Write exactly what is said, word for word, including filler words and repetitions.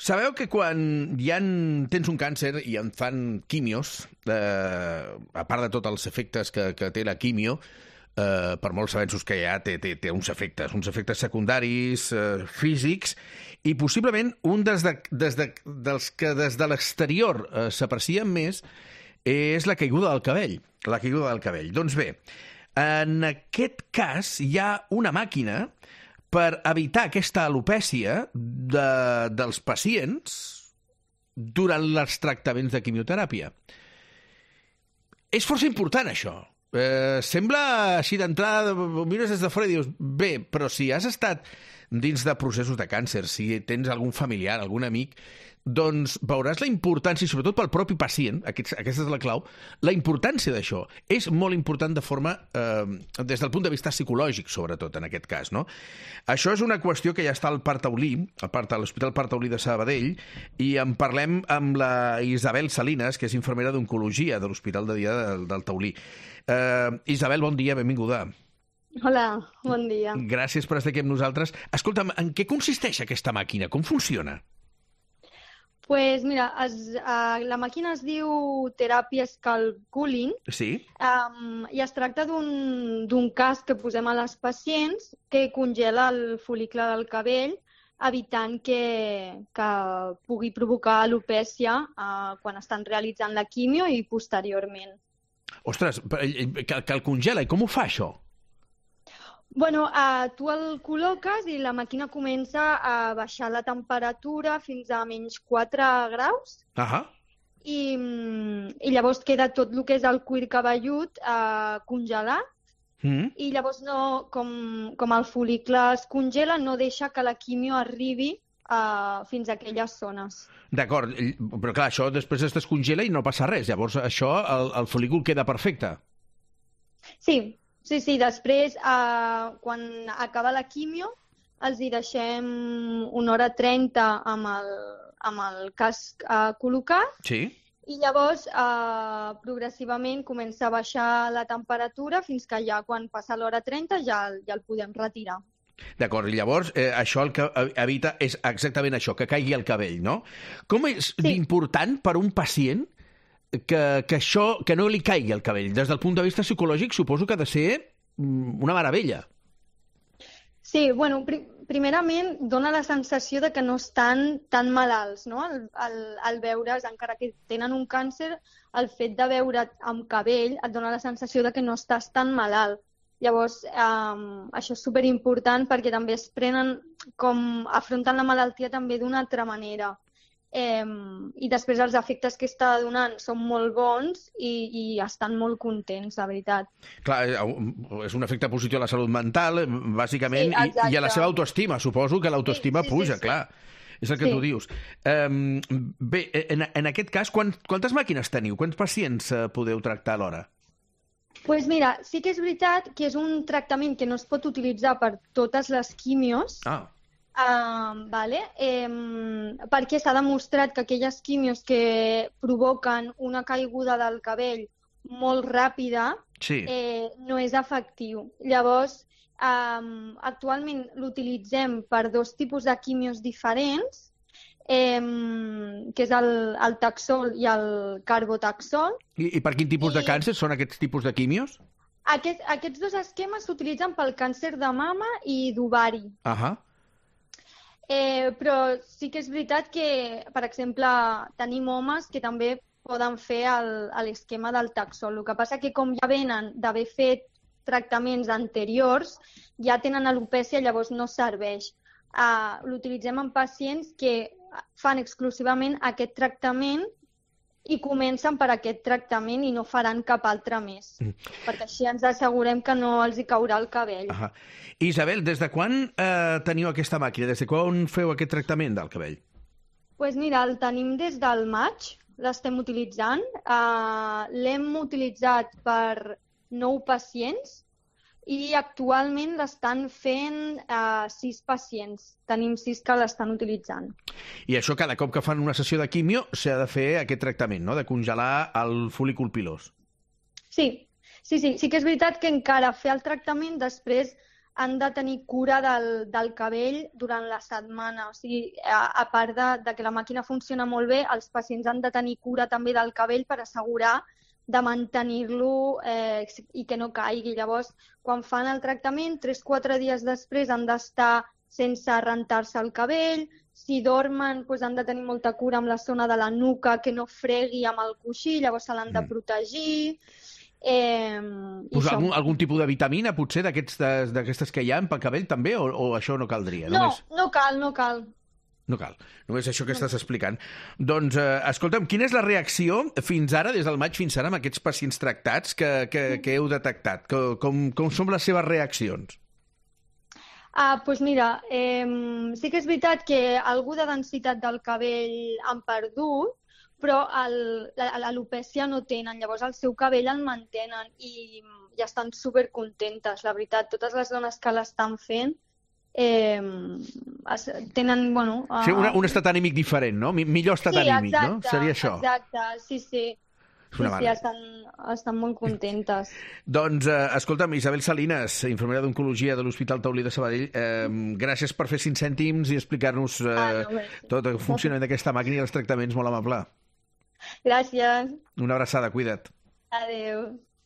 Sabeu que quan ja tens un càncer i em fan quimios, eh, a part de tots els efectes que, que té la quimio, eh, per molts avenços que hi ha, té, té, té uns efectes, uns efectes secundaris, eh, físics, i possiblement un des de, des de, dels que des de l'exterior eh, s'aprecien més és la caiguda del cabell. La caiguda del cabell. Doncs bé, en aquest cas hi ha una màquina per evitar aquesta alopècia de, dels pacients durant els tractaments de quimioteràpia. És força important, això. Eh, sembla així d'entrada, mires des de fora i dius, bé, però si has estat dins de processos de càncer, si tens algun familiar, algun amic, doncs veuràs la importància, sobretot pel propi pacient, aquest, aquesta és la clau, la importància d'això. És molt important de forma, eh, des del punt de vista psicològic, sobretot, en aquest cas, no? Això és una qüestió que ja està al Parc Taulí, a l'Hospital Parc Taulí de Sabadell, i en parlem amb la Isabel Salinas, que és infermera d'Oncologia de l'Hospital de Dia del, del Taulí. Eh, Isabel, bon dia, benvinguda. Hola, bon dia. Gràcies per estar aquí amb nosaltres. Escolta'm, en què consisteix aquesta màquina? Com funciona? Pues mira, es, uh, la màquina es diu teràpia Scalp-Cooling. Sí. Um, I es tracta d'un casc que posem a les pacients que congela el fol·licle del cabell, evitant que, que pugui provocar alopècia uh, quan estan realitzant la quimio i posteriorment. Ostres, que, que el congela. I com ho fa, això? Bueno, uh, tu el col·loques i la màquina comença a baixar la temperatura fins a menys quatre graus. Ahà. I, i llavors queda tot el que és el cuir cabellut uh, congelat. Mm. I llavors, no, com, com el fol·licle es congela, no deixa que la quimio arribi uh, fins a aquelles zones. D'acord, però clar, això després es descongela i no passa res. Llavors, això, el, el fol·lícul queda perfecte. Sí. Sí, sí, després, eh, quan acaba la quimio, els hi deixem una hora trenta amb el, amb el casc eh, col·locat. Sí. I llavors, eh, progressivament, comença a baixar la temperatura fins que ja, quan passa l'hora trenta, ja, ja el podem retirar. D'acord, i llavors eh, això el que evita és exactament això, que caigui el cabell, no? Com és sí. important per un pacient Que, que això, que no li caigui el cabell? Des del punt de vista psicològic suposo que ha de ser una meravella. Sí, bueno, pri primerament dona la sensació de que no estan tan malalts, no? Al, al, al veure's, encara que tenen un càncer, el fet de veure't amb cabell et dona la sensació de que no estàs tan malalt. Llavors, eh, això és superimportant perquè també es prenen com afronten la malaltia també d'una altra manera. Eh, i després els efectes que està donant són molt bons i, i estan molt contents, la veritat. Clar, és un efecte positiu a la salut mental, bàsicament, sí, i, i a la seva autoestima. Suposo que l'autoestima sí, sí, puja, sí, sí. Clar. És el que sí. tu dius. Um, bé, en, en aquest cas, quant, quantes màquines teniu? Quants pacients uh, podeu tractar alhora? Doncs pues mira, sí que és veritat que és un tractament que no es pot utilitzar per totes les quimios. Ah. Uh, vale. eh, perquè s'ha demostrat que aquelles quimios que provoquen una caiguda del cabell molt ràpida sí. eh, no és efectiu. Llavors, um, actualment l'utilitzem per dos tipus de quimios diferents, eh, que és el, el taxol i el carbotaxol. I, i per quin tipus I... de càncer són aquests tipus de quimios? Aquest, aquests dos esquemes s'utilitzen pel càncer de mama i d'ovari. Ahà. Eh, però sí que és veritat que, per exemple, tenim homes que també poden fer l'esquema del taxol. El que passa que com ja venen d'haver fet tractaments anteriors, ja tenen alopècia, llavors no serveix. Uh, L'utilitzem en pacients que fan exclusivament aquest tractament i comencen per aquest tractament i no faran cap altre més, mm. perquè així ens assegurem que no els hi caurà el cabell. Ahà. Isabel, des de quan eh, teniu aquesta màquina? Des de quan feu aquest tractament del cabell? Doncs pues mira, el tenim des del maig, l'estem utilitzant. Uh, L'hem utilitzat per nou pacients i actualment l'estan fent uh, sis pacients. Tenim sis que l'estan utilitzant. I això cada cop que fan una sessió de quimio s'ha de fer aquest tractament, no?, de congelar el folícul pilós. Sí, sí, sí. Sí que és veritat que encara fer el tractament després han de tenir cura del, del cabell durant la setmana. O sigui, a, a part de, de que la màquina funciona molt bé, els pacients han de tenir cura també del cabell per assegurar de mantenir-lo eh, i que no caigui. Llavors, quan fan el tractament, tres o quatre dies després han d'estar sense rentar-se el cabell. Si dormen, doncs han de tenir molta cura amb la zona de la nuca, que no fregui amb el coixí, llavors se l'han de protegir. Eh, pues algun, algun tipus de vitamina, potser, d'aquestes que hi ha pel cabell, també? O, o això no caldria? No, només... no cal, no cal. No cal. Només això que estàs explicant. Doncs, eh, escolta'm, quina és la reacció fins ara, des del maig fins ara, amb aquests pacients tractats que, que, que heu detectat? Com, com són les seves reaccions? Ah, doncs mira, eh, sí que és veritat que algú de densitat del cabell han perdut, però l'alopècia no tenen, llavors el seu cabell el mantenen i, i estan supercontentes, la veritat. Totes les dones que l'estan fent eh, es, tenen, bueno... Uh... Sí, una, un estat anímic diferent, no? Millor estat sí, anímic, exacte, no? Seria això. Exacte, sí, sí. Sí, sí, estan, estan molt contentes. Doncs, eh, escolta'm, Isabel Salinas, infermera d'Oncologia de l'Hospital Taulí de Sabadell, eh, gràcies per fer cinc cèntims i explicar-nos eh, ah, no, tot el funcionament d'aquesta màquina i els tractaments, molt amable. Gràcies. Una abraçada, cuida't. Adéu.